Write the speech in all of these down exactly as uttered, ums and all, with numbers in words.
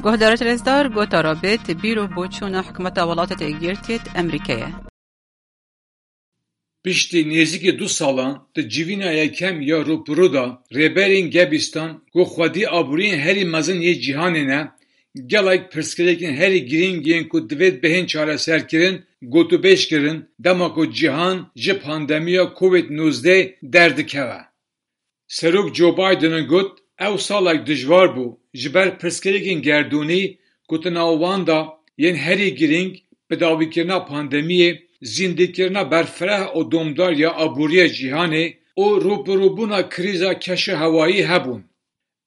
Guhdarêt rêzdar, gotara bêt bîr û boçûna hikûmeta Welatêt Êkgirtiyêt Emerîkeyê. Piştî nêzîkî du salan di civîna yekem ya rûpirû de, rêberên Gebîstan ku xwedî aboriyên herî mezin yê cîhanê ne, gelek pirsgirêkên herî girîng yên ku divêt bihên çareserkirin gotûbêj kirin, dema ku cîhan ji pandemiya Covid nozdeh derdikeve. Serok Joe Biden got, ew salek dijwar bû ji ber pirsgirêkên gerdûnî ku di nav wan de yên herî girîng, bidawîkirina pandemiyê, zîndîkirina berfireh û domdar ya aboriya cîhanê û rûbirûbûna krîza keşûhewayî hebûn.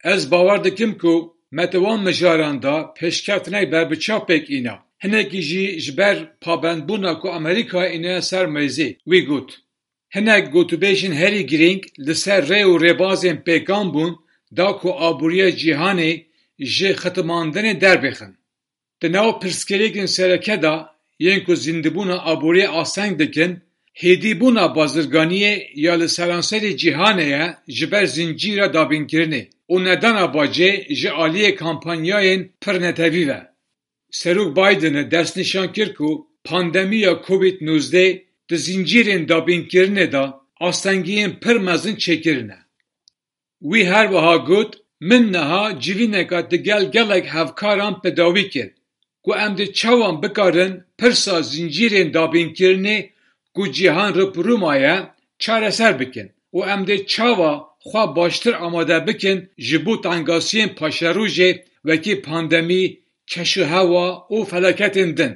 Ez bawer dikim ku me di wan mijaran de pêşkeftinek berbiçav pêk îna. Hinekî jî ji ber pabendbûna ku Amerîka îniye ser mêzê, wî got. Hinek gotûbêjên herî girîng li ser rê û rêbazên pêkan bûn da ku aboriya cîhanê ji xitimandinê derbêxin. Di nav pirsgirêkên sereke de yên ku zîndibûna aboriyê asteng dikin, hêdîbûna bazirganiyê ya li seranserê cîhanê ye ji ber zincîra dabînkirinê û nedana bacê ji aliyê kampanyayên pir netewî ve. Serok Biden destnîşan kir ku pandemiya Covid nozdeh di zincîrên dabînkirinê de astengiyên pir mezin çêkirine. Wî her wiha got, min niha civîneka digel gelek hevkaran bi dawî kir ku em dê çawa bikarin pirsa zincîrên dabînkirinê ku cîhan rûpirû maye çareser bikin û em dê çawa xwe baştir amade bikin ji bo tengasiyên paşerojê wekî pandemî, keşûhewa û felaketên din.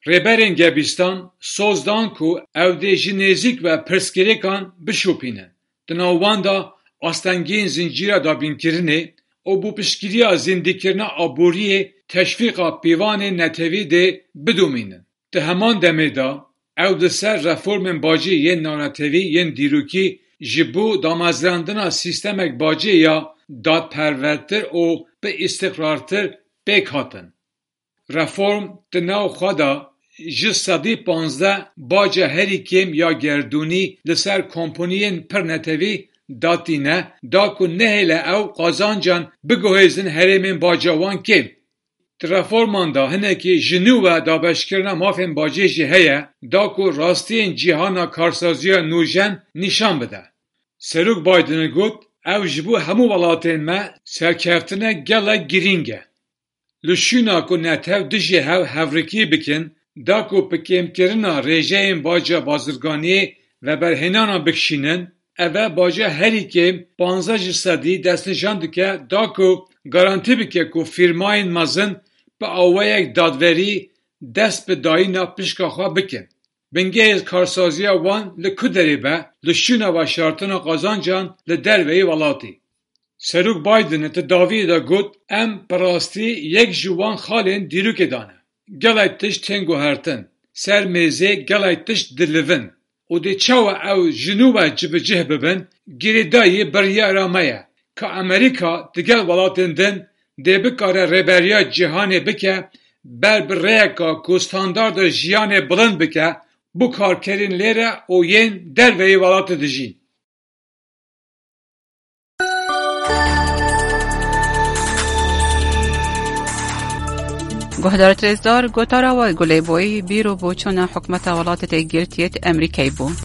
Rêberên Gebîstan soz dan ku ew dê ji nêzîk ve pirsgirêkan bişopînin. Di nav wan de astengiyên zincîra dabînkirinê û bi piştgiriya zîndîkirina aboriyê teşvîqa pîvanên netewî dê bidomînin. Di heman demê de ew di ser reformên bacê yên navnetewî yên dîrokî ji bo damezrandina sîstemek bacê ya dadperwertir û bi îstiqrartir pêk hatin. Reform di nav xwe de ji sedî panzdeh baca herî kêm ya gerdûnî li ser kompaniyên pirnetewî datîne, da ku nehêle ew qazancan biguhêzin herêmên baca wan kêm. Di reforman de hinekî ji nû ve dabeşkirina mafên bacê jî heye, da ku rastiyên cîhana karsaziya nûjen nîşan bide. Serok Biden got, ev ji bo hemû welatên me serkeftinek gelek girîng e. Li şûna ku netew dijî hev hevrikî bikin, da ku bi kêmkirina rêjeyên baca bazirganiyê veberhênana bikişînin, eve baca herî kêm panzdeh ji sedî destnîşan dike, da ku garantî bike ku fîrmayên mezin bi awayek dadverî dest bi dayîna pişka xwe bikin. Bingehê karsaziya wan li ku derê be, li şûna veşartina qazancan li derveyî welatî. Serok Biden di dawiyê de got, em bi rastî yek ji wan xalên dîrokê de ne. Gelek tişt tên guhertin. Ser mêzê gelek tişt dilivin. Û dê çawa ew ji nû ve cibicih bibin, girêdayî biryara me ye, ka Amerîka digel welatên din dê bikare rêberiya cîhanê bike, ber bi rêyeka ku standarda jiyanê bilind bike, bo karkerên lê re û yên derveyî welatê dijîn. Guhdarêt rêzdar, gotara we Gulê Boyî, bîr û boçûna hikûmeta Welatêt Êkgirtiyêt Emerîkayê bû.